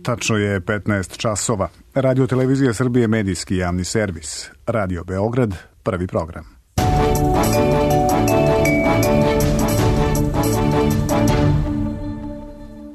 Tačno je 15 časova. Radio Televizija Srbije, medijski javni servis. Radio Beograd, prvi program.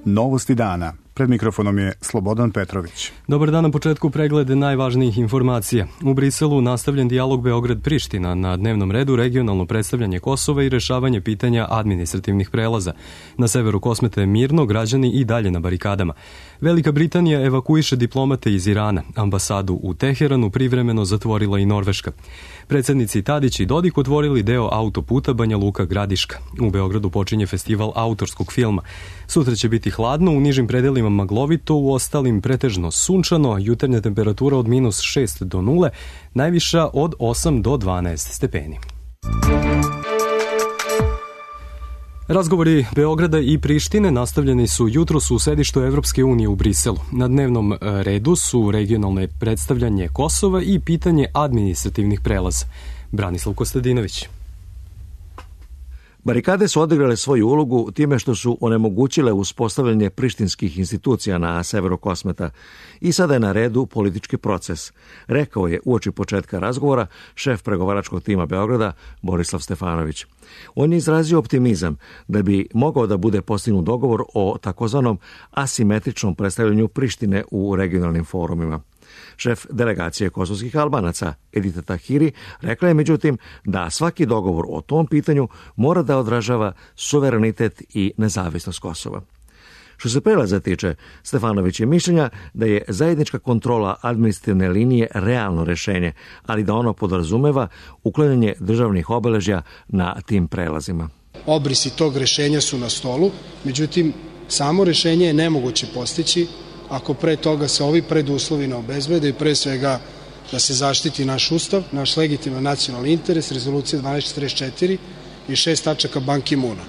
Novosti dana. Pred mikrofonom je Slobodan Petrović. Dobar dan, na početku pregled najvažnijih informacija. U Briselu nastavljen dijalog Beograd-Priština, na dnevnom redu regionalno predstavljanje Kosova i rešavanje pitanja administrativnih prelaza. Na severu Kosmeta je mirno, građani i dalje na barikadama. Velika Britanija evakuiše diplomate iz Irana. Ambasadu u Teheranu privremeno zatvorila i Norveška. Predsednici Tadić i Dodik otvorili deo autoputa Banja Luka-Gradiška. U Beogradu počinje festival autorskog filma. Sutra će biti hladno, u nižim predelima maglovito, u ostalim pretežno sunčano, jutarnja temperatura od -6 do 0, najviša od 8 do 12 stepeni. Razgovori Beograda i Prištine nastavljeni su jutros u sedištu Evropske unije u Briselu. Na dnevnom redu su regionalne predstavljanje Kosova i pitanje administrativnih prelaza. Branislav Kostadinović. Barikade su odigrale svoju ulogu time što su onemogućile uspostavljanje prištinskih institucija na severu Kosmeta i sada je na redu politički proces, rekao je uoči početka razgovora šef pregovaračkog tima Beograda Borislav Stefanović. On je izrazio optimizam da bi mogao da bude postignut dogovor o takozvanom asimetričnom predstavljanju Prištine u regionalnim forumima. Šef delegacije kosovskih Albanaca, Edita Tahiri, rekla je međutim da svaki dogovor o tom pitanju mora da odražava suverenitet i nezavisnost Kosova. Što se prelaza tiče, Stefanović je mišljenja da je zajednička kontrola administrativne linije realno rešenje, ali da ono podrazumeva uklanjanje državnih obeležja na tim prelazima. Obrisi tog rešenja su na stolu, međutim, samo rešenje je nemoguće postići ako pre toga se ovi preduslovi ne obezbede i pre svega da se zaštiti naš ustav, naš legitiman nacionalni interes, rezolucija 1244 i 6 tačaka Ban Ki-moona.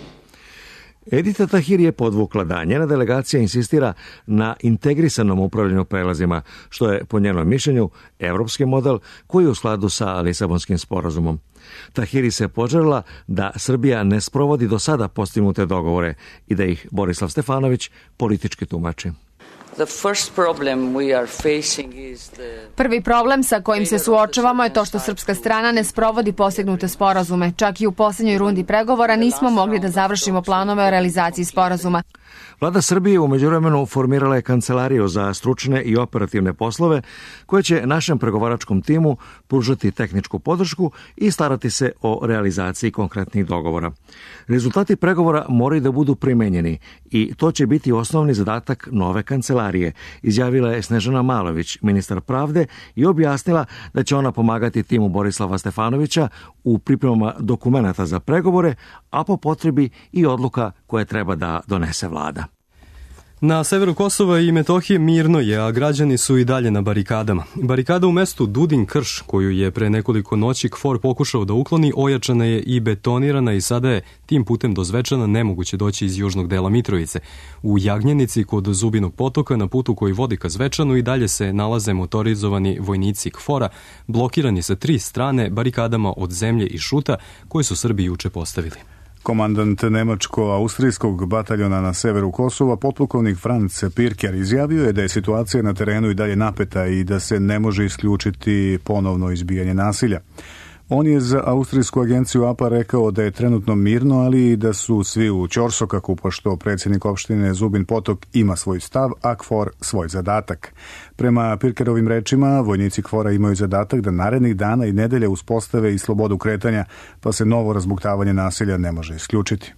Edita Tahiri je podvukla da njena delegacija insistira na integrisanom upravljanju prelazima, što je po njenom mišljenju evropski model koji je u skladu sa Lisabonskim sporazumom. Tahiri se poželila da Srbija ne sprovodi do sada postignute dogovore i da ih Borislav Stefanović politički tumači. Prvi problem sa kojim se suočavamo je to što srpska strana ne sprovodi postignute sporazume. Čak i u posljednjoj rundi pregovora nismo mogli da završimo planove o realizaciji sporazuma. Vlada Srbije u međuvremenu formirala je kancelariju za stručne i operativne poslove koje će našem pregovaračkom timu pružati tehničku podršku i starati se o realizaciji konkretnih dogovora. Rezultati pregovora moraju da budu primenjeni i to će biti osnovni zadatak nove kancelarije, izjavila je Snežana Malović, ministar pravde, i objasnila da će ona pomagati timu Borislava Stefanovića u pripremama dokumenata za pregovore, a po potrebi i odluka koje treba da donese vlada. Na severu Kosova i Metohije mirno je, a građani su i dalje na barikadama. Barikada u mestu Dudin-Krš, koju je pre nekoliko noći KFOR pokušao da ukloni, ojačana je i betonirana i sada je tim putem do Zvečana nemoguće doći iz južnog dela Mitrovice. U Jagnjenici kod Zubinog potoka, na putu koji vodi ka Zvečanu, i dalje se nalaze motorizovani vojnici KFOR-a, blokirani sa 3 strane barikadama od zemlje i šuta koje su Srbi juče postavili. Komandant nemačko-austrijskog bataljona na severu Kosova, potpukovnik Franz Pirker, izjavio je da je situacija na terenu i dalje napeta i da se ne može isključiti ponovno izbijanje nasilja. On je za austrijsku agenciju APA rekao da je trenutno mirno, ali i da su svi u ćorsokaku, pošto predsjednik opštine Zubin Potok ima svoj stav, a KFOR svoj zadatak. Prema Pirkerovim rečima, vojnici KFOR-a imaju zadatak da narednih dana i nedelje uspostave i slobodu kretanja, pa se novo razbuktavanje nasilja ne može isključiti.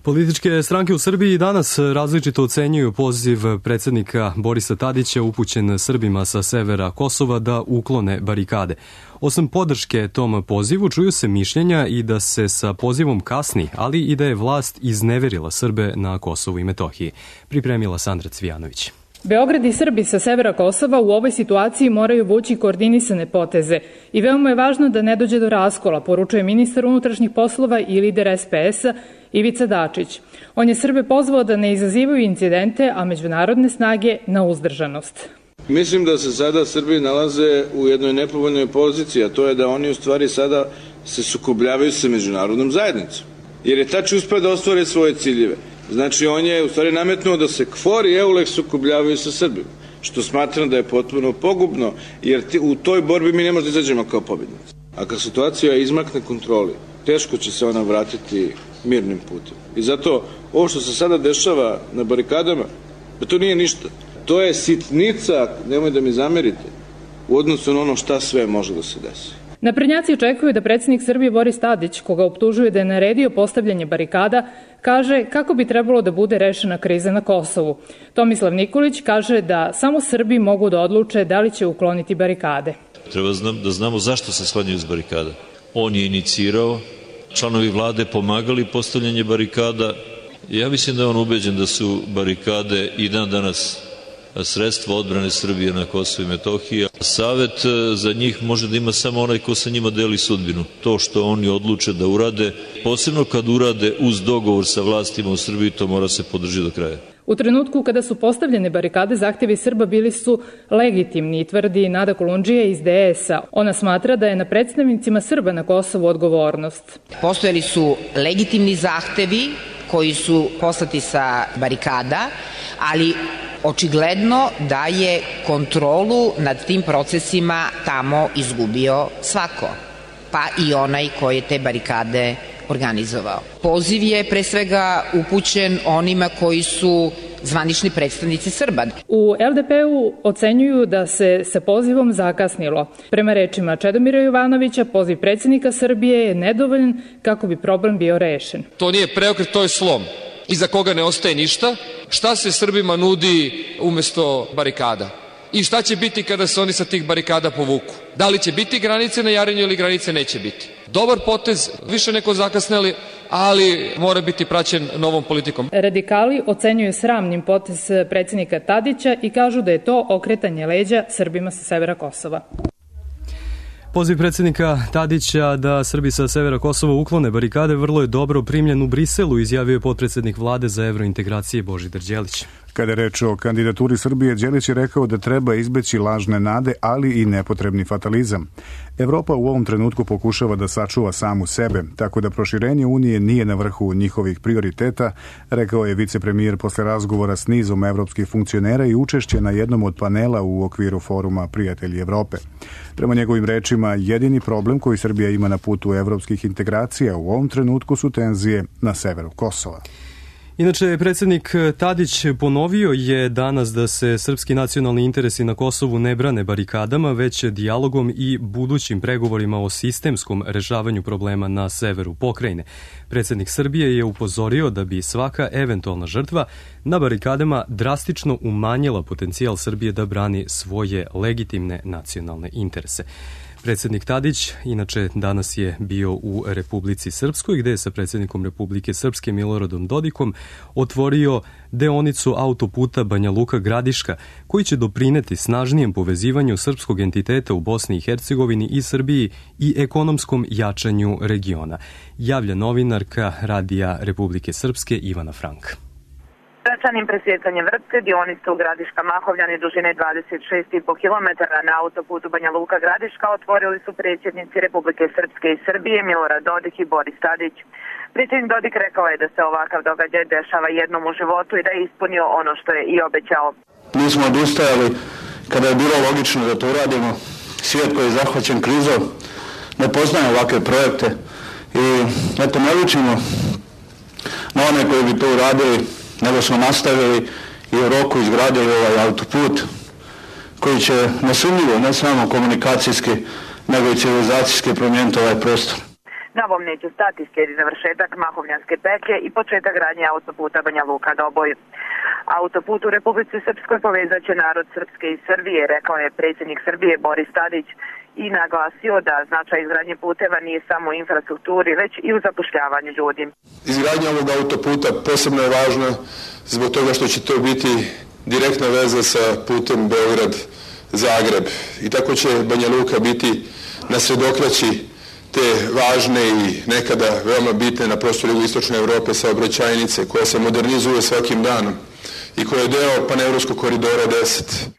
Političke stranke u Srbiji danas različito ocenjuju poziv predsjednika Borisa Tadića upućen Srbima sa severa Kosova da uklone barikade. Osim podrške tom pozivu, čuju se mišljenja i da se sa pozivom kasni, ali i da je vlast izneverila Srbe na Kosovu i Metohiji. Pripremila Sandra Cvijanović. Beograd i Srbi sa severa Kosova u ovoj situaciji moraju vući koordinisane poteze i veoma je važno da ne dođe do raskola, poručuje ministar unutrašnjih poslova i lider SPS-a Ivica Dačić. On je Srbe pozvao da ne izazivaju incidente, a međunarodne snage na uzdržanost. Mislim da se sada Srbi nalaze u jednoj nepovoljnoj poziciji, a to je da oni u stvari sada se sukobljavaju sa međunarodnom zajednicom. Jer je Tači uspeo da ostvare svoje ciljeve. Znači, on je u stvari nametnuo da se KFOR i EULEX sukobljavaju sa Srbima, što smatram da je potpuno pogubno, jer u toj borbi mi ne možemo da izađemo kao pobjednici. A kad situacija izmakne kontroli, teško će se ona vratiti mirnim putem. I zato ovo što se sada dešava na barikadama, to nije ništa. To je sitnica, nemoj da mi zamerite, u odnosu na ono šta sve može da se desi. Naprednjaci očekuju da predsjednik Srbije Boris Tadić, koga optužuje da je naredio postavljanje barikada, kaže kako bi trebalo da bude rešena kriza na Kosovu. Tomislav Nikolić kaže da samo Srbi mogu da odluče da li će ukloniti barikade. Treba da znamo zašto se sklanjaju iz barikada. On je inicirao, članovi vlade pomagali postavljanje barikada. Ja mislim da je on ubeđen da su barikade i dan danas sredstva odbrane Srbije na Kosovu i Metohiji. Savet za njih može da ima samo onaj ko sa njima deli sudbinu. To što oni odluče da urade, posebno kad urade uz dogovor sa vlastima u Srbiji, to mora se podržati do kraja. U trenutku kada su postavljene barikade, zahtevi Srba bili su legitimni, tvrdi Nada Kolundžija iz DS-a. Ona smatra da je na predstavnicima Srba na Kosovu odgovornost. Postojali su legitimni zahtevi koji su poslati sa barikada, ali očigledno da je kontrolu nad tim procesima tamo izgubio svako, pa i onaj koji je te barikade organizovao. Poziv je pre svega upućen onima koji su zvanični predstavnici Srba. U LDP-u ocenjuju da se sa pozivom zakasnilo. Prema rečima Čedomira Jovanovića, poziv predsjednika Srbije je nedovoljan kako bi problem bio rešen. To nije preokret, to je slom. Iza koga ne ostaje ništa. Šta se Srbima nudi umesto barikada? I šta će biti kada se oni sa tih barikada povuku? Da li će biti granice na Jarinju ili granice neće biti? Dobar potez, više neko zakasneli, ali mora biti praćen novom politikom. Radikali ocenjuju sramnim potez predsjednika Tadića i kažu da je to okretanje leđa Srbima sa severa Kosova. Poziv predsjednika Tadića da Srbi sa severa Kosova uklone barikade vrlo je dobro primljen u Briselu, izjavio je potpredsjednik vlade za evrointegracije Božidar Đelić. Kada je reč o kandidaturi Srbije, Đelić je rekao da treba izbeći lažne nade, ali i nepotrebni fatalizam. Evropa u ovom trenutku pokušava da sačuva samu sebe, tako da proširenje Unije nije na vrhu njihovih prioriteta, rekao je vicepremijer posle razgovora s nizom evropskih funkcionera i učešće na jednom od panela u okviru foruma Prijatelji Evrope. Prema njegovim rečima, jedini problem koji Srbija ima na putu evropskih integracija u ovom trenutku su tenzije na severu Kosova. Inače, predsjednik Tadić ponovio je danas da se srpski nacionalni interesi na Kosovu ne brane barikadama, već dijalogom i budućim pregovorima o sistemskom rešavanju problema na severu pokrajine. Predsjednik Srbije je upozorio da bi svaka eventualna žrtva na barikadama drastično umanjila potencijal Srbije da brani svoje legitimne nacionalne interese. Predsjednik Tadić, inače, danas je bio u Republici Srpskoj, gde je sa predsjednikom Republike Srpske Miloradom Dodikom otvorio deonicu autoputa Banja Luka-Gradiška, koji će doprineti snažnijem povezivanju srpskog entiteta u Bosni i Hercegovini i Srbiji i ekonomskom jačanju regiona, javlja novinarka Radija Republike Srpske Ivana Frank. Svečanim presjecanjem vrpce dionice u Gradiška Mahovljani dužine 26,5 km na autoputu Banja Luka Gradiška otvorili su predsjednici Republike Srpske i Srbije Milorad Dodik i Boris Tadić. Predsjednik Dodik rekao je da se ovakav događaj dešava jednom u životu i da je ispunio ono što je i obećao. Mi smo odustajali kada je bilo logično da to uradimo. Svijet koji je zahvaćen krizom ne poznaje ovakve projekte i eto ne učimo na one koji bi to uradili, nego smo nastavili i u roku izgradili ovaj autoput koji će nesumnjivo, ne samo komunikacijski, nego i civilizacijski promijeniti ovaj prostor. Na ovom neće stati, slijedi završetak Mahovljanske petlje i početak gradnje autoputa Banja Luka Doboj. Autoput u Republici Srpskoj povezat će narod Srpske i Srbije, rekao je predsjednik Srbije Boris Tadić i naglasio da značaj izgradnje puteva nije samo u infrastrukturi, već i u zapošljavanju ljudi. Izgradnja ovog autoputa posebno je važna zbog toga što će to biti direktna veza sa putem Beograd-Zagreb. I tako će Banja Luka biti na sredokraći te važne i nekada veoma bitne na prostoru jugoistočne Evrope saobraćajnice koja se modernizuje svakim danom i koja je deo panevropskog koridora 10.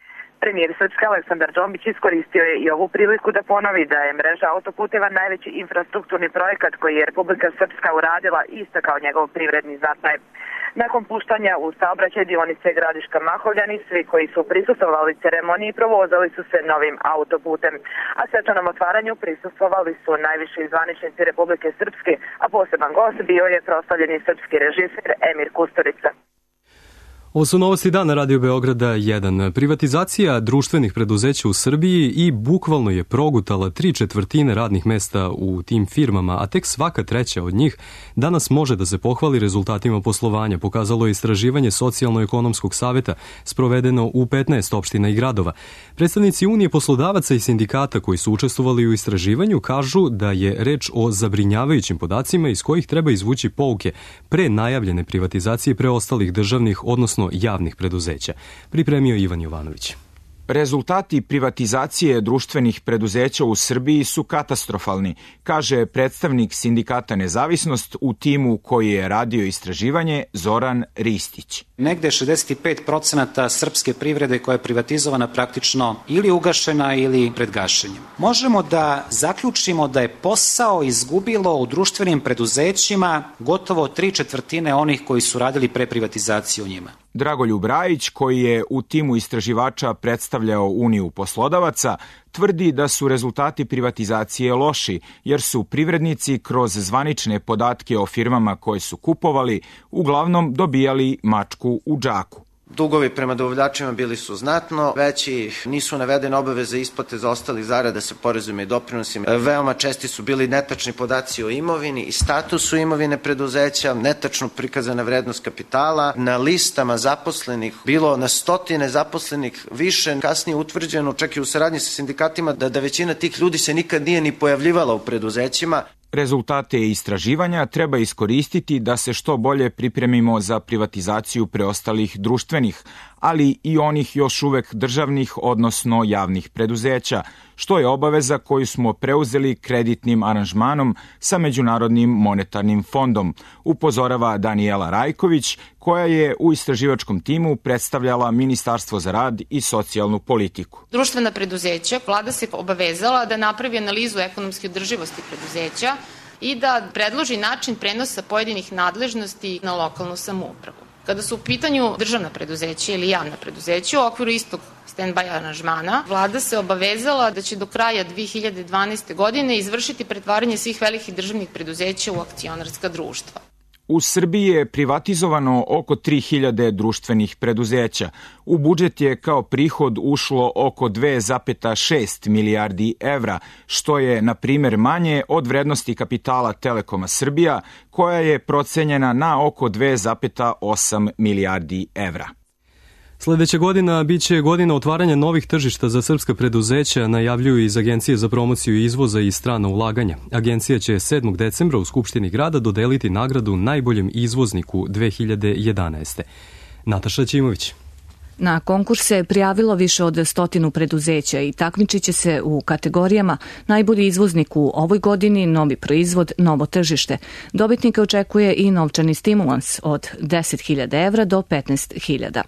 Premijer Srpske Aleksandar Džombić iskoristio je i ovu priliku da ponovi da je mreža autoputeva najveći infrastrukturni projekat koji je Republika Srpska uradila i istakao njegov privredni značaj. Nakon puštanja u saobraćaj dionice Gradiška Mahovljani, svi koji su prisustvovali ceremoniji provozali su se novim autoputem, a svečanom otvaranju prisustvovali su najviši zvaničnici Republike Srpske, a poseban gost bio je proslavljeni srpski režiser Emir Kusturica. Ovo su novosti dana Radio Beograda 1. Privatizacija društvenih preduzeća u Srbiji i bukvalno je progutala 3/4 radnih mesta u tim firmama, a tek svaka treća od njih danas može da se pohvali rezultatima poslovanja, pokazalo je istraživanje Socijalno-ekonomskog saveta sprovedeno u 15 opština i gradova. Predstavnici Unije poslodavaca i sindikata koji su učestvovali u istraživanju kažu da je reč o zabrinjavajućim podacima iz kojih treba izvući pouke pre najavljene privatizacije preostalih državnih, odnosno javnih preduzeća. Pripremio Ivan Jovanović. Rezultati privatizacije društvenih preduzeća u Srbiji su katastrofalni, kaže predstavnik sindikata Nezavisnost u timu koji je radio istraživanje Zoran Ristić. Negde 65% srpske privrede koja je privatizovana praktično ili ugašena ili pred gašenjem. Možemo da zaključimo da je posao izgubilo u društvenim preduzećima gotovo 3/4 onih koji su radili pre privatizacije u njima. Dragoljub Rajić, koji je u timu istraživača predstavljao Uniju poslodavaca, tvrdi da su rezultati privatizacije loši, jer su privrednici kroz zvanične podatke o firmama koje su kupovali uglavnom dobijali mačku u džaku. Dugovi prema dobavljačima bili su znatno veći, nisu navedene obaveze isplate za ostalih zarada sa porezima i doprinosima. Veoma česti su bili netačni podaci o imovini i statusu imovine preduzeća, netačno prikazana vrednost kapitala, na listama zaposlenih bilo na stotine zaposlenih više, kasnije utvrđeno čak i u saradnji sa sindikatima da većina tih ljudi se nikad nije ni pojavljivala u preduzećima. Rezultate istraživanja treba iskoristiti da se što bolje pripremimo za privatizaciju preostalih društvenih, ali i onih još uvek državnih, odnosno javnih preduzeća, što je obaveza koju smo preuzeli kreditnim aranžmanom sa Međunarodnim monetarnim fondom, upozorava Danijela Rajković, koja je u istraživačkom timu predstavljala Ministarstvo za rad i socijalnu politiku. Društvena preduzeća, vlada se obavezala da napravi analizu ekonomske održivosti preduzeća i da predloži način prenosa pojedinih nadležnosti na lokalnu samoupravu. Kada su u pitanju državna preduzeća ili javna preduzeća u okviru istog stand-by aranžmana, vlada se obavezala da će do kraja 2012. godine izvršiti pretvaranje svih velikih državnih preduzeća u akcionarska društva. U Srbiji je privatizovano oko 3000 društvenih preduzeća. U budžet je kao prihod ušlo oko 2,6 milijardi evra, što je, na primjer, manje od vrednosti kapitala Telekoma Srbija, koja je procenjena na oko 2,8 milijardi evra. Sledeća godina biće godina otvaranja novih tržišta za srpska preduzeća, najavljuju iz Agencije za promociju izvoza i strana ulaganja. Agencija će 7. decembra u Skupštini grada dodeliti nagradu najboljem izvozniku 2011. Nataša Ćimović. Na konkurs se prijavilo više od 100 preduzeća i takmičit će se u kategorijama najbolji izvoznik u ovoj godini, novi proizvod, novo tržište. Dobitnika očekuje i novčani stimulans od 10.000 evra do 15.000.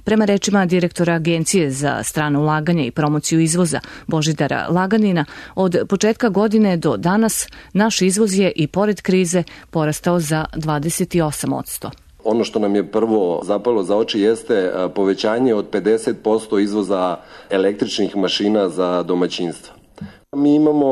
Prema rečima direktora Agencije za strano ulaganje i promociju izvoza Božidara Laganina, od početka godine do danas naš izvoz je i pored krize porastao za 28%. Ono što nam je prvo zapalo za oči jeste povećanje od 50% izvoza električnih mašina za domaćinstva. Mi imamo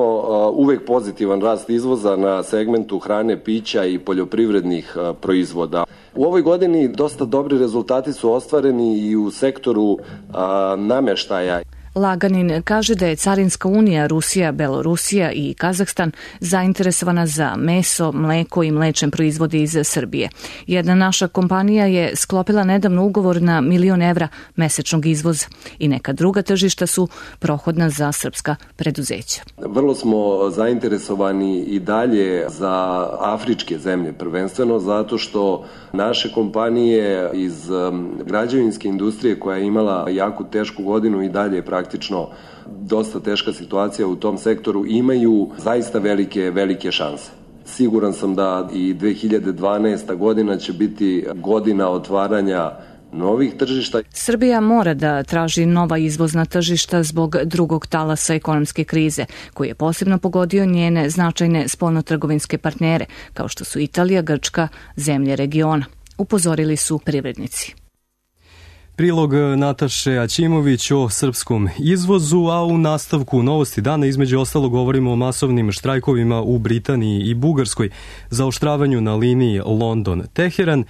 uvek pozitivan rast izvoza na segmentu hrane, pića i poljoprivrednih proizvoda. U ovoj godini dosta dobri rezultati su ostvareni i u sektoru namještaja. Laganin kaže da je Carinska unija Rusija, Belorusija i Kazahstan zainteresovana za meso, mleko i mlečne proizvode iz Srbije. Jedna naša kompanija je sklopila nedavno ugovor na 1.000.000 evra mesečnog izvoza i neka druga tržišta su prohodna za srpska preduzeća. Vrlo smo zainteresovani i dalje za afričke zemlje, prvenstveno zato što naše kompanije iz građevinske industrije koja je imala jako tešku godinu i dalje praktično dosta teška situacija u tom sektoru, imaju zaista velike šanse. Siguran sam da i 2012. godina će biti godina otvaranja novih tržišta. Srbija mora da traži nova izvozna tržišta zbog drugog talasa ekonomske krize, koji je posebno pogodio njene značajne spoljnotrgovinske partnere, kao što su Italija, Grčka, zemlje regiona. upozorili su privrednici. Prilog Nataše Aćimović o srpskom izvozu, a u nastavku Novosti dana između ostalo govorimo o masovnim štrajkovima u Britaniji i Bugarskoj, zaoštravanju na liniji London-Teheran,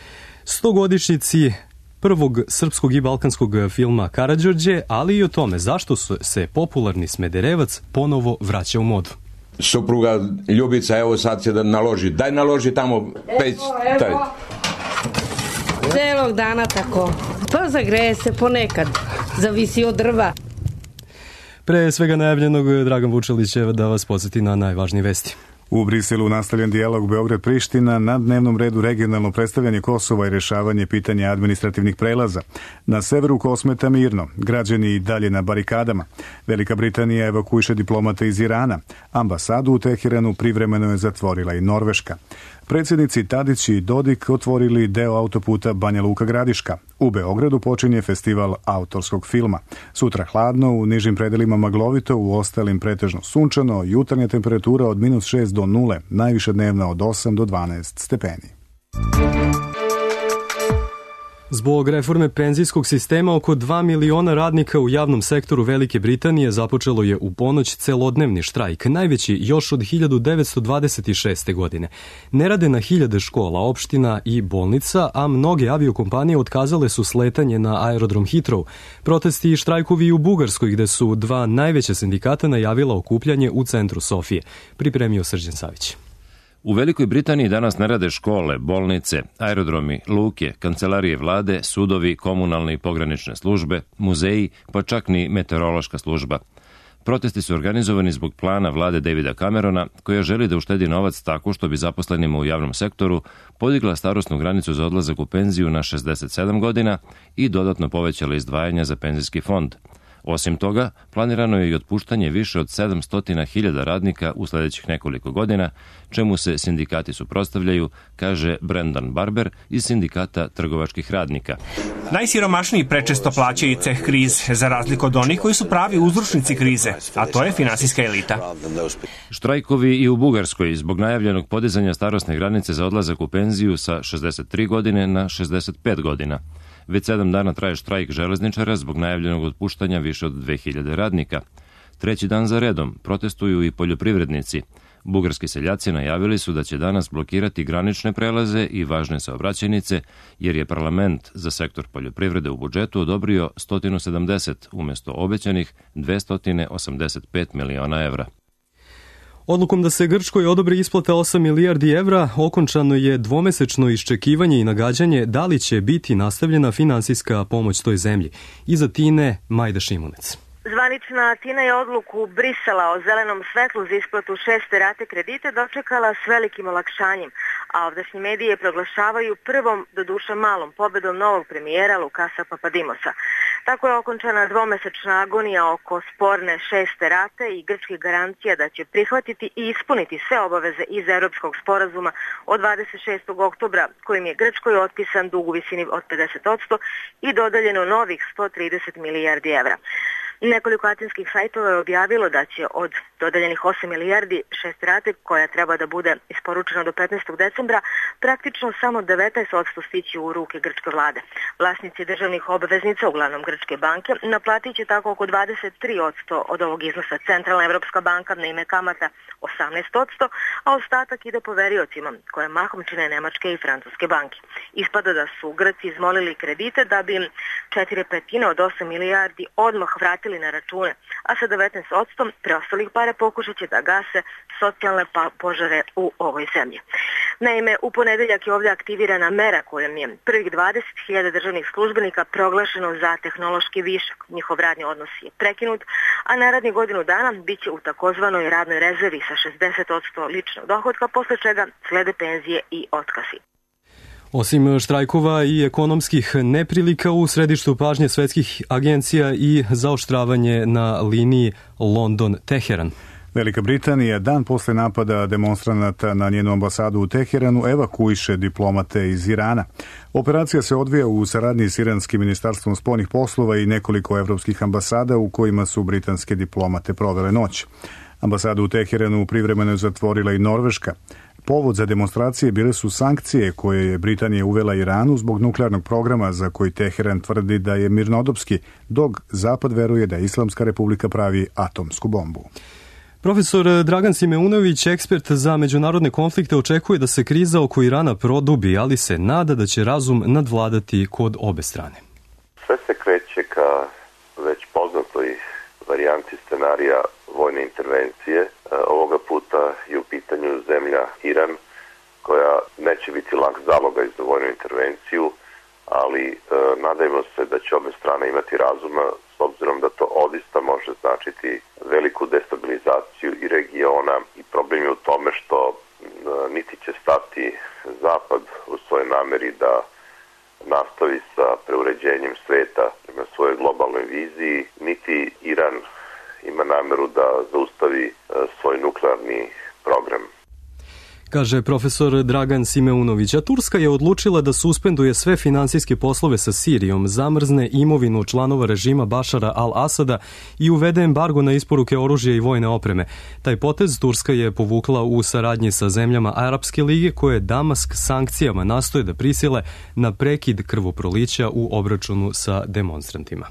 100-godišnjici prvog srpskog i balkanskog filma Karađorđe, ali i o tome zašto se popularni Smederevac ponovo vraća u modu. Supruga Ljubica, evo sad će da naloži. Daj naloži tamo peć. Evo. Celog dana tako. Pa zagreje se ponekad. Zavisi od drva. Pre svega najavljenog, Dragan Vučelić će da vas podsjeti na najvažnije vesti. U Briselu nastavljen dijalog Beograd-Priština, na dnevnom redu regionalno predstavljanje Kosova i rešavanje pitanja administrativnih prelaza. Na severu Kosmeta mirno, građani i dalje na barikadama. Velika Britanija evakuiše diplomate iz Irana. Ambasadu u Teheranu privremeno je zatvorila i Norveška. Predsjednici Tadić i Dodik otvorili deo autoputa Banja Luka-Gradiška. U Beogradu počinje festival autorskog filma. Sutra hladno, u nižim predelima maglovito, u ostalim pretežno sunčano, jutarnja temperatura od -6 do 0, najviša dnevna od 8 do 12 stepeni. Zbog reforme penzijskog sistema, oko 2 miliona radnika u javnom sektoru Velike Britanije započelo je u ponoć celodnevni štrajk, najveći još od 1926. godine. Ne rade na hiljade škola, opština i bolnica, a mnoge aviokompanije otkazale su sletanje na aerodrom Heathrow. Protesti i štrajkovi i u Bugarskoj, gde su dva najveća sindikata najavila okupljanje u centru Sofije. Pripremio Srđan Savić. U Velikoj Britaniji danas ne rade škole, bolnice, aerodromi, luke, kancelarije vlade, sudovi, komunalne i pogranične službe, muzeji, pa čak ni meteorološka služba. Protesti su organizovani zbog plana vlade Davida Camerona, koja želi da uštedi novac tako što bi zaposlenima u javnom sektoru podigla starosnu granicu za odlazak u penziju na 67 godina i dodatno povećala izdvajanja za penzijski fond. Osim toga, planirano je i otpuštanje više od 700.000 radnika u sledećih nekoliko godina, čemu se sindikati suprotstavljaju, kaže Brendan Barber iz sindikata trgovačkih radnika. Najsiromašniji prečesto plaćaju ceh krize, za razliku od onih koji su pravi uzročnici krize, a to je finansijska elita. Štrajkovi i u Bugarskoj zbog najavljenog podizanja starosne granice za odlazak u penziju sa 63 godine na 65 godina. Već 7 dana traje štrajk železničara zbog najavljenog otpuštanja više od 2000 radnika. Treći dan za redom protestuju i poljoprivrednici. Bugarski seljaci najavili su da će danas blokirati granične prelaze i važne saobraćajnice, jer je parlament za sektor poljoprivrede u budžetu odobrio 170 umjesto obećanih 285 miliona evra. Odlukom da se Grčkoj odobri isplata 8 milijardi evra, okončano je dvomesečno iščekivanje i nagađanje da li će biti nastavljena finansijska pomoć toj zemlji. Iza Tine, Majda Šimunec. Zvanična Atina je odluku Brisela o zelenom svetlu za isplatu 6. rate kredita dočekala s velikim olakšanjem, a ovdašnji medije proglašavaju prvom, doduše malom, pobedom novog premijera Lukasa Papadimosa. Tako je okončana dvomesečna agonija oko sporne 6. rate i grčkih garancija da će prihvatiti i ispuniti sve obaveze iz Europskog sporazuma od 26. oktobra, kojim je Grčkoj otpisan dug u visini od 50% i dodaljeno novih 130 milijardi evra. Nekoliko atinskih sajtova je objavilo da će od dodeljenih 8 milijardi 6 rate, koja treba da bude isporučena do 15. decembra, praktično samo 19% stići u ruke grčke vlade. Vlasnici državnih obveznica, uglavnom grčke banke, naplatit će tako oko 23% od ovog iznosa. Centralna Evropska banka na ime kamata 18%, a ostatak ide poveriocima, koje mahom čine nemačke i francuske banke. Ispada da su Grci izmolili kredite da bi im 4/5 od 8 milijardi odmah vratili na račune, a sa 19% preostalih para pokušat će da gase socijalne požare u ovoj zemlji. Naime, u ponedeljak je ovdje aktivirana mera kojom je prvih 20.000 državnih službenika proglašeno za tehnološki višak. Njihov radni odnos je prekinut, a narednih godinu dana bit će u takozvanoj radnoj rezervi sa 60% ličnog dohotka, posle čega slede penzije i otkazi. Osim štrajkova i ekonomskih neprilika, u središtu pažnje svetskih agencija i zaoštravanje na liniji London-Teheran. Velika Britanija dan posle napada demonstranata na njenu ambasadu u Teheranu evakuiše diplomate iz Irana. Operacija se odvija u saradnji s iranskim ministarstvom spoljnih poslova i nekoliko evropskih ambasada u kojima su britanske diplomate provele noć. Ambasadu u Teheranu privremeno je zatvorila i Norveška. Povod za demonstracije bile su sankcije koje je Britanija uvela Iranu zbog nuklearnog programa za koji Teheran tvrdi da je mirnodopski, dok Zapad veruje da Islamska republika pravi atomsku bombu. Profesor Dragan Simeunović, ekspert za međunarodne konflikte, očekuje da se kriza oko Irana produbi, ali se nada da će razum nadvladati kod obe strane. Sve se kreće ka već poznatoj varijanti scenarija vojne intervencije. Ovoga puta je u pitanju zemlja Iran, koja neće biti lak zaloga za vojnu intervenciju, ali nadajmo se da će obe strane imati razuma, s obzirom da to odista može značiti veliku destabilizaciju i regiona, i problem je u tome što niti će stati Zapad u svojoj nameri da nastavi sa preuređenjem sveta na svojoj globalnoj viziji, niti Iran ima nameru da zaustavi svoj nuklearni program. Kaže profesor Dragan Simeunović, a Turska je odlučila da suspenduje sve finansijske poslove sa Sirijom, zamrzne imovinu članova režima Bašara al-Asada i uvede embargo na isporuke oružja i vojne opreme. Taj potez Turska je povukla u saradnji sa zemljama Arapske lige, koje Damask sankcijama nastoje da prisile na prekid krvoprolića u obračunu sa demonstrantima.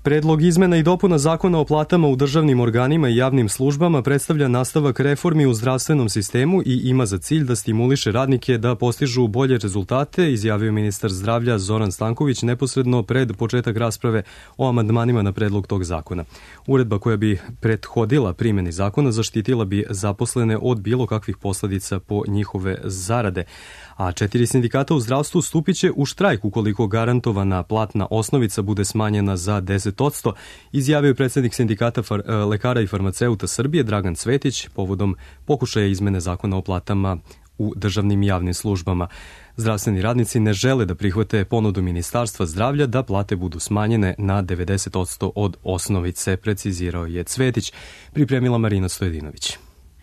Predlog izmena i dopuna zakona o platama u državnim organima i javnim službama predstavlja nastavak reformi u zdravstvenom sistemu i ima za cilj da stimuliše radnike da postižu bolje rezultate, izjavio ministar zdravlja Zoran Stanković neposredno pred početak rasprave o amandmanima na predlog tog zakona. Uredba koja bi prethodila primjeni zakona zaštitila bi zaposlene od bilo kakvih posledica po njihove zarade. A 4 sindikata u zdravstvu stupit će u štrajk ukoliko garantovana platna osnovica bude smanjena za 10%, izjavio je predsjednik sindikata lekara i farmaceuta Srbije Dragan Cvetić povodom pokušaja izmene zakona o platama u državnim i javnim službama. Zdravstveni radnici ne žele da prihvate ponudu Ministarstva zdravlja da plate budu smanjene na 90% od osnovice, precizirao je Cvetić, pripremila Marina Stojedinović.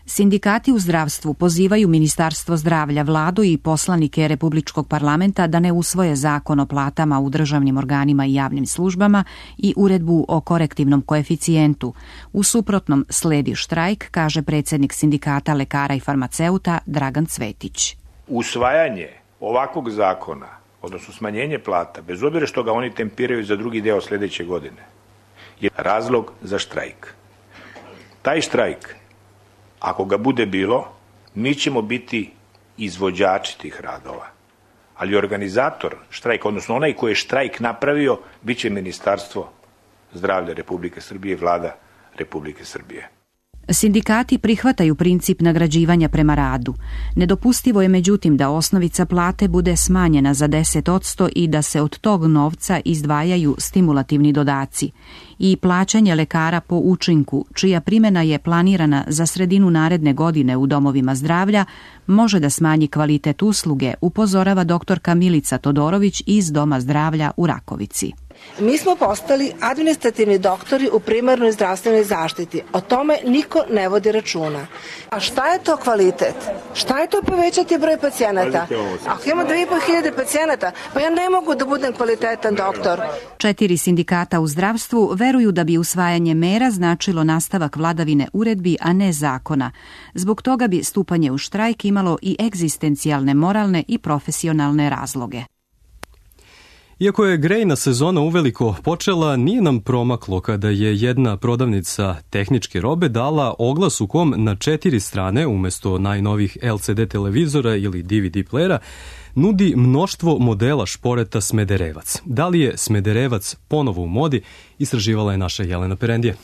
Sindikati u zdravstvu pozivaju Ministarstvo zdravlja, vladu i poslanike Republičkog parlamenta da ne usvoje zakon o platama u državnim organima i javnim službama i uredbu o korektivnom koeficijentu. U suprotnom sledi štrajk, kaže predsjednik sindikata lekara i farmaceuta Dragan Cvetić. Usvajanje ovakvog zakona, odnosno smanjenje plata, bez obzira što ga oni tempiraju za drugi deo sljedeće godine, je razlog za štrajk. Taj štrajk, ako ga bude bilo, mi ćemo biti izvođači tih radova. Ali organizator štrajka, odnosno onaj koji je štrajk napravio, bit će Ministarstvo zdravlja Republike Srbije i Vlada Republike Srbije. Sindikati prihvataju princip nagrađivanja prema radu. Nedopustivo je međutim da osnovica plate bude smanjena za 10% i da se od tog novca izdvajaju stimulativni dodaci. I plaćanje lekara po učinku, čija primjena je planirana za sredinu naredne godine u domovima zdravlja, može da smanji kvalitet usluge, upozorava doktorka Milica Todorović iz Doma zdravlja u Rakovici. Mi smo postali administrativni doktori u primarnoj zdravstvenoj zaštiti. O tome niko ne vodi računa. A šta je to kvalitet? Šta je to povećati broj pacijenata? Ako imamo 2500 pacijenata, pa ja ne mogu da budem kvalitetan doktor. 4 sindikata u zdravstvu veruju da bi usvajanje mera značilo nastavak vladavine uredbi, a ne zakona. Zbog toga bi stupanje u štrajk imalo i egzistencijalne, moralne i profesionalne razloge. Iako je grejna sezona uveliko počela, nije nam promaklo kada je jedna prodavnica tehničke robe dala oglas u kom na 4 strane, umjesto najnovih LCD televizora ili DVD playera, nudi mnoštvo modela šporeta Smederevac. Da li je Smederevac ponovo u modi, istraživala je naša Jelena Perendije.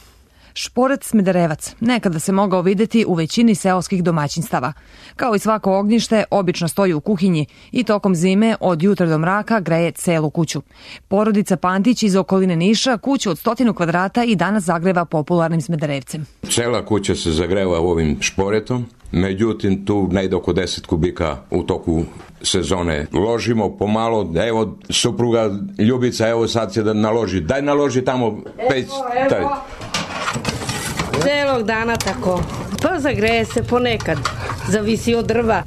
Šporet Smederevac nekada se mogao vidjeti u većini seoskih domaćinstava. Kao i svako ognjište, obično stoji u kuhinji i tokom zime od jutra do mraka greje celu kuću. Porodica Pantić iz okoline Niša kuću od 100 kvadrata i danas zagreva popularnim Smederevcem. Cela kuća se zagreva ovim šporetom, međutim tu najde oko 10 kubika u toku sezone. Ložimo pomalo, evo supruga Ljubica, evo sad će da naloži. Daj naloži tamo peć. Celog dana tako. Pa zagreje se ponekad. Zavisi od drva.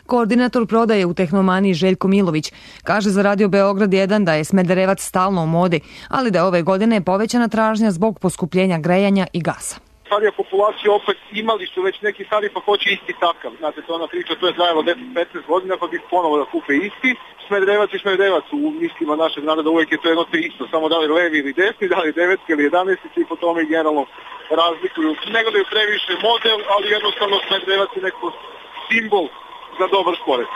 Koordinator prodaje u Tehnomaniji Željko Milović kaže za Radio Beograd 1 da je Smederevac stalno u modi, ali da je ove godine povećana tražnja zbog poskupljenja grejanja i gasa. starija populacija opet imali su već neki stari pa hoće isti takav. Znate, to ona priča, to je trajalo 10-15 godina pa bih ponovo da kupe isti. Smederevac u mislima našeg naroda uvijek je to jedno te isto, samo da li levi ili desni, da li 9 ili 11 i po tome generalno razlikuju. Ne gledaju previše model, ali jednostavno Smederevac je neko simbol za dobar sport.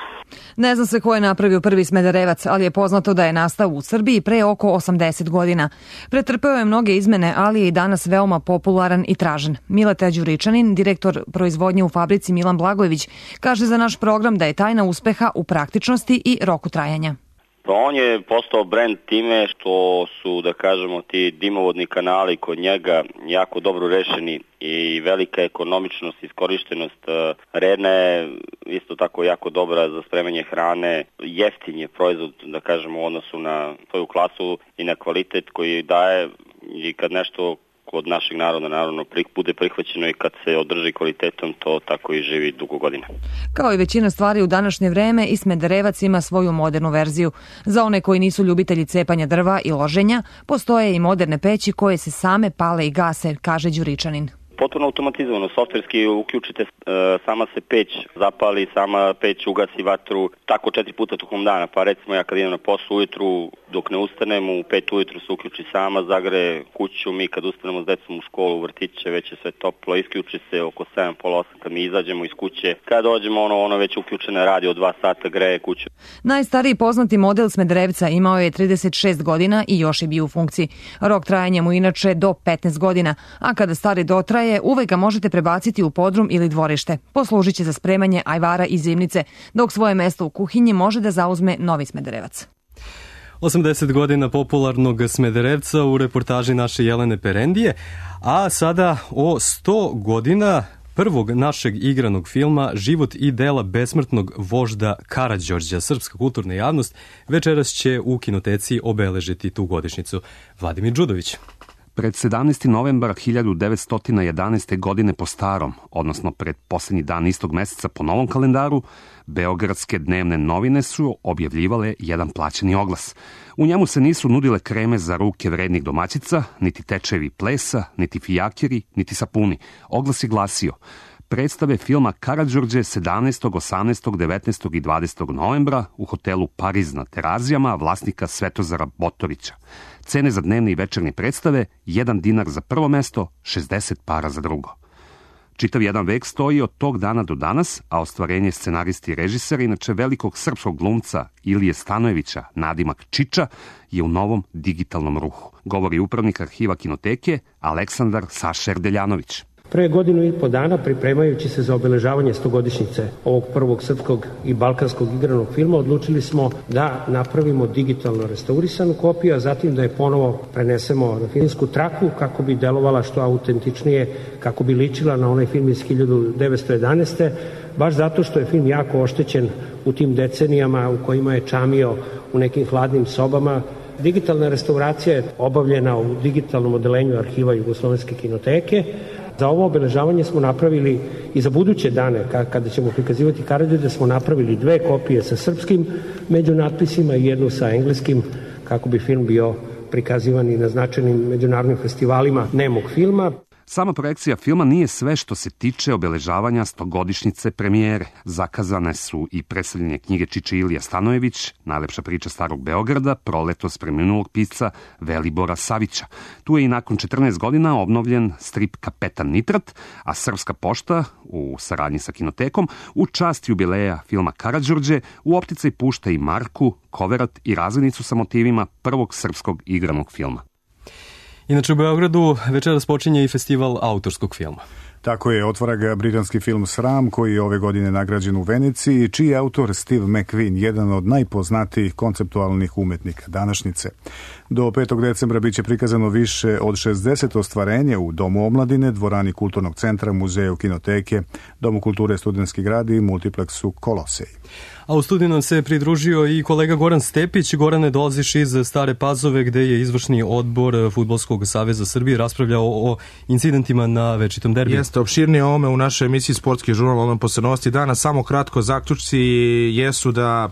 Ne zna se ko je napravio prvi Smederevac, ali je poznato da je nastao u Srbiji pre oko 80 godina. Pretrpeo je mnoge izmene, ali je i danas veoma popularan i tražen. Mileta Đuričanin, direktor proizvodnje u fabrici Milan Blagojević, kaže za naš program da je tajna uspeha u praktičnosti i roku trajanja. Pa on je postao brend time što su, da kažemo, ti dimovodni kanali kod njega jako dobro rešeni i velika ekonomičnost, iskorištenost. Redna je isto tako jako dobra za spremanje hrane. Jeftin je proizvod, da kažemo, u odnosu na svoju klasu i na kvalitet koji daje i kad nešto kod našeg naroda naravno bude prihvaćeno i kad se održi kvalitetom, to tako i živi dugo godina. Kao i većina stvari u današnje vreme, i Smederevac ima svoju modernu verziju. Za one koji nisu ljubitelji cepanja drva i loženja, postoje i moderne peći koje se same pale i gase, kaže Đuričanin. Potpuno automatizovano, softverski uključite, sama se peć zapali, sama peć ugasi vatru, tako 4 puta tokom dana. Pa recimo ja kad idem na posao ujutru, dok ne ustanem, u 5 ujutru se uključi sama, zagreje kuću, mi kad ustanemo s decom u školu, u vrtiće, već je sve toplo, isključi se oko 7, pola 8 kad mi izađemo iz kuće. Kad dođemo, ono već uključene radi od 2 sata, greje kuću. Najstariji poznati model Smederevca imao je 36 godina i još je bio u funkciji. Rok trajanja mu inače do 15 godina, a kada stari dotraje, uvek ga možete prebaciti u podrum ili dvorište. Poslužit će za spremanje ajvara i zimnice, dok svoje mesto u kuhinji može da zauzme novi Smederevac. 80 godina popularnog Smederevca u reportaži naše Jelene Perendije, a sada o 100 godina prvog našeg igranog filma Život i dela besmrtnog vožda Karađorđa. Srpska kulturna javnost večeras će u kinoteci obeležiti tu godišnjicu. Vladimir Đudović. Pred 17. novembar 1911. godine po starom, odnosno pred posljednji dan istog meseca po novom kalendaru, beogradske dnevne novine su objavljivale jedan plaćeni oglas. U njemu se nisu nudile kreme za ruke vrednih domaćica, niti tečevi plesa, niti fijakeri, niti sapuni. Oglas je glasio: predstave filma Karađorđe 17., 18., 19. i 20. novembra u hotelu Pariz na Terazijama vlasnika Svetozara Botorića. Cene za dnevne i večernje predstave: 1 dinar za prvo mesto, 60 para za drugo. Čitav jedan vek stoji od tog dana do danas, a ostvarenje scenaristi i režisera, inače velikog srpskog glumca Ilije Stanojevića, nadimak Čiča, je u novom digitalnom ruhu, govori upravnik arhiva kinoteke Aleksandar Saša Erdeljanović. Pre godinu i po dana, pripremajući se za obeležavanje 100-godišnjice ovog prvog srpskog i balkanskog igranog filma, odlučili smo da napravimo digitalno restaurisanu kopiju, a zatim da je ponovo prenesemo na filmsku traku kako bi delovala što autentičnije, kako bi ličila na onaj film iz 1911. Baš zato što je film jako oštećen u tim decenijama u kojima je čamio u nekim hladnim sobama. Digitalna restauracija je obavljena u digitalnom odelenju arhiva Jugoslovenske kinoteke. Za ovo obeležavanje smo napravili i za buduće dane, kada ćemo prikazivati Karađorđa, smo napravili 2 kopije sa srpskim međunatpisima i 1 sa engleskim, kako bi film bio prikazivan i na značajnim međunarodnim festivalima nemog filma. Sama projekcija filma nije sve što se tiče obeležavanja 100-godišnjice premijere. Zakazane su i predstavljanje knjige Čiče Ilija Stanojević, najlepša priča starog Beograda, proletos preminulog pisca Velibora Savića. Tu je i nakon 14 godina obnovljen strip Kapetan Nitrat, a Srpska pošta, u saradnji sa kinotekom, u čast jubileja filma Karađorđe, u opticaj pušta i Marku, Koverat i razglednicu sa motivima prvog srpskog igranog filma. Inače u Beogradu večeras počinje i festival autorskog filma. Tako je, otvara ga britanski film Sram, koji je ove godine nagrađen u Veneciji, čiji je autor Steve McQueen, jedan od najpoznatijih konceptualnih umetnika današnjice. Do 5. decembra biće prikazano više od 60 ostvarenja u Domu omladine, dvorani Kulturnog centra, Muzeju kinoteke, Domu kulture Studentski grad i multipleksu Kolosej. A u studiju nam se pridružio i kolega Goran Stepić. Gorane, dolaziš iz Stare Pazove, gde je izvršni odbor Fudbalskog saveza Srbije raspravljao o incidentima na večitom derbiju. Jeste, Jeste, opširnije o ovome u našoj emisiji Sportski žurnal, odmah posle novosti dana. Samo kratko, zaključci jesu da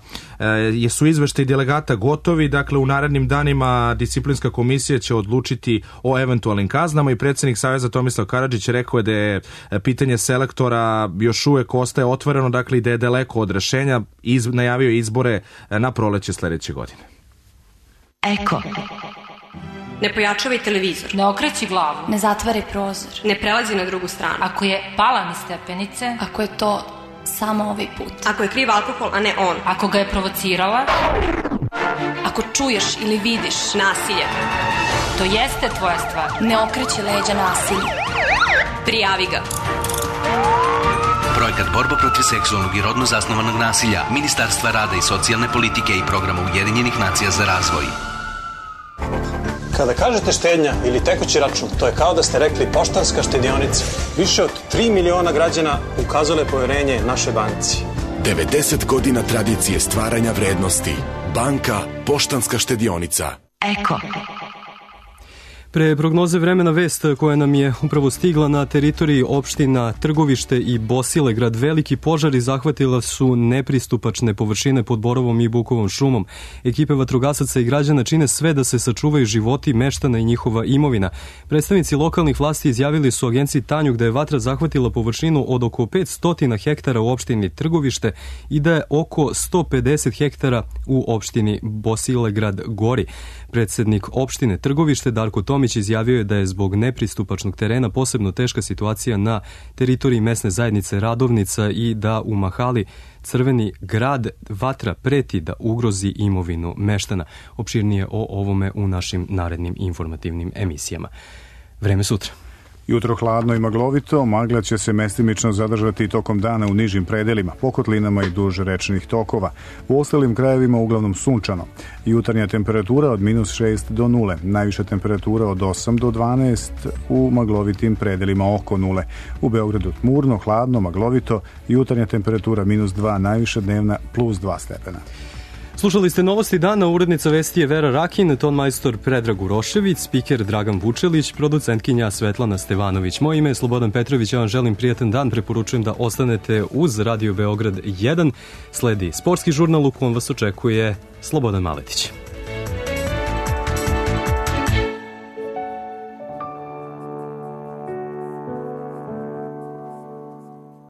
su izveštaji delegata gotovi, dakle u narednim danima disciplinska komisija će odlučiti o eventualnim kaznama i predsjednik Saveza Tomislav Karadžić rekao je da je pitanje selektora još uvek ostaje otvoreno, dakle i da je daleko od rešenja, najavio izbore na proleće sledeće godine. Eko. Ne pojačavaj televizor. Ne okreći glavu. Ne zatvaraj prozor. Ne prelazi na drugu stranu. Ako je pala niz stepenice. Ako je to samo ovaj put. Ako je kriv alkohol, a ne on. Ako ga je provocirala. Ako čuješ ili vidiš nasilje. To jeste tvoja stvar. Ne okreći leđa nasilju. Prijavi ga. Projekat Borba protiv seksualnog i rodno zasnovanog nasilja Ministarstva rada i socijalne politike i Programa Ujedinjenih nacija za razvoj. Kada kažete štednja ili tekući račun, to je kao da ste rekli Poštanska štedionica. Više od 3 miliona građana ukazalo je poverenje našoj banci. 90 godina tradicije stvaranja vrednosti. Banka Poštanska štedionica. Eko. Pre prognoze vremena vest koja nam je upravo stigla na teritoriji opština Trgovište i Bosilegrad, veliki požari zahvatila su nepristupačne površine pod Borovom i Bukovom šumom. Ekipe vatrogasaca i građana čine sve da se sačuvaju životi meštana i njihova imovina. Predstavnici lokalnih vlasti izjavili su agenciji Tanjug da je vatra zahvatila površinu od oko 500 hektara u opštini Trgovište i da je oko 150 hektara u opštini Bosilegrad gori. Predsednik opštine Trgovište Darko Tomić izjavio je da je zbog nepristupačnog terena posebno teška situacija na teritoriji mesne zajednice Radovnica i da u mahali Crveni grad vatra preti da ugrozi imovinu meštana. Opširnije o ovome u našim narednim informativnim emisijama. Vreme sutra. Jutro hladno i maglovito, magla će se mestimično zadržati tokom dana u nižim predelima, po kotlinama i duž rečnih tokova. U ostalim krajevima uglavnom sunčano. Jutarnja temperatura od -6 do 0, najviša temperatura od 8 do 12, u maglovitim predelima oko 0. U Beogradu tmurno, hladno, maglovito, jutarnja temperatura -2, najviša dnevna +2 stepena. Slušali ste novosti dana, urednica vesti je Vera Rakin, ton majstor Predrag Urošević, spiker Dragan Vučelić, producentkinja Svetlana Stevanović. Moje ime je Slobodan Petrović, ja vam želim prijatan dan, preporučujem da ostanete uz Radio Beograd 1. Sledi sportski žurnal u kom vas očekuje Slobodan Maletić.